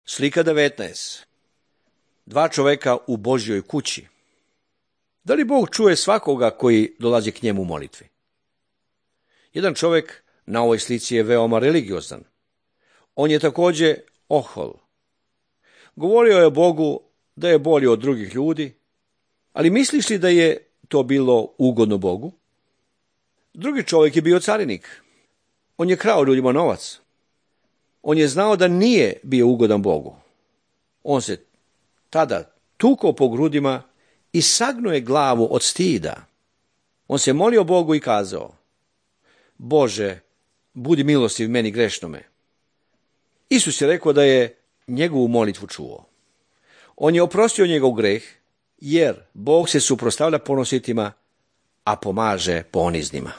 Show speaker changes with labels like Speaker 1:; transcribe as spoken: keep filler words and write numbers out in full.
Speaker 1: Slika devetnaest. Dva čoveka u Božjoj kući. Da li Bog čuje svakoga koji dolazi k njemu u molitvi? Jedan čovjek na ovoj slici je veoma religiozan. On je također ohol. Govorio je o Bogu da je bolji od drugih ljudi, ali misliš li da je to bilo ugodno Bogu? Drugi čovjek je bio carinik. On je krao ljudima novac. On je znao da nije bio ugodan Bogu. On se tada tukao po grudima i sagnuo je glavu od stida. On se molio Bogu i kazao: Bože, budi milostiv meni grešnome. Isus je rekao da je njegovu molitvu čuo. On je oprostio njegov greh, jer Bog se suprotstavlja ponositima, a pomaže poniznima.